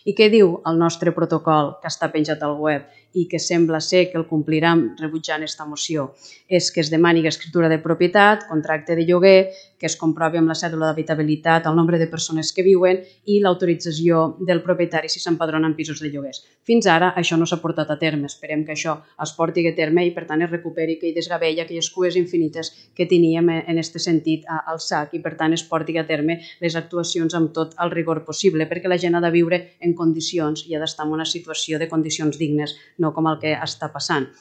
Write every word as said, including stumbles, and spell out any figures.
I què diu el nostre protocol que està penjat al web i que sembla ser que el compliran rebutjant aquesta moció? És que es demani escriptura de propietat, contracte de lloguer, que es comprovi amb la cèdula d'habitabilitat el nombre de persones que viuen i l'autorització del propietari si s'empadrona en pisos de lloguers. Fins ara això no s'ha portat a terme. Esperem que això es porti a terme i per tant es recuperi aquell desgavell, aquelles cues infinites que teníem en aquest sentit al S A C i per tant es porti a terme les actuacions amb tot el rigor possible perquè la gent ha de viure en condicions i ha d'estar en una situació de condicions dignes, no com el que està passant.